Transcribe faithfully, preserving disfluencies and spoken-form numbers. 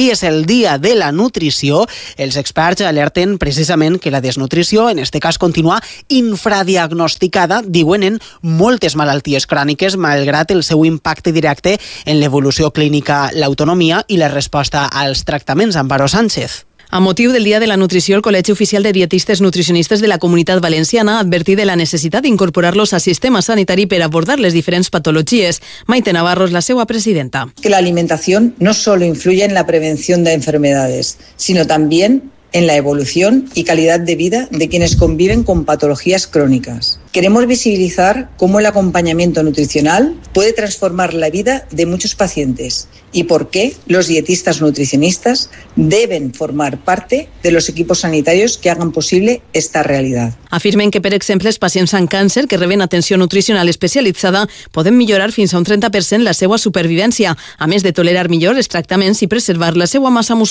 I és el dia de la nutrició. Els experts alerten precisament que la desnutrició, en este cas, continua infradiagnosticada, diuen, en moltes malalties cròniques, malgrat el seu impacte directe en l'evolució clínica, l'autonomia i la resposta als tractaments. Amparo Sánchez. A motiu del Dia de la Nutrició, el Col·legi Oficial de Dietistes Nutricionistes de la Comunitat Valenciana ha advertit de la necessitat d'incorporar-los al sistema sanitari per abordar les diferents patologies. Maite Navarro és la seva presidenta. Que la alimentación no solo influye en la prevención de enfermedades, sino también en la evolución y calidad de vida de quienes conviven con patologías crónicas. Queremos visibilizar cómo el acompañamiento nutricional puede transformar la vida de muchos pacientes y por qué los dietistas nutricionistas deben formar parte de los equipos sanitarios que hagan posible esta realidad. Afirmen que, per exemple, els pacients amb càncer que reben atenció nutricional especialitzada poden millorar fins a un trenta per cent la seva supervivència, a més de tolerar millor els tractaments i preservar la seva massa muscular.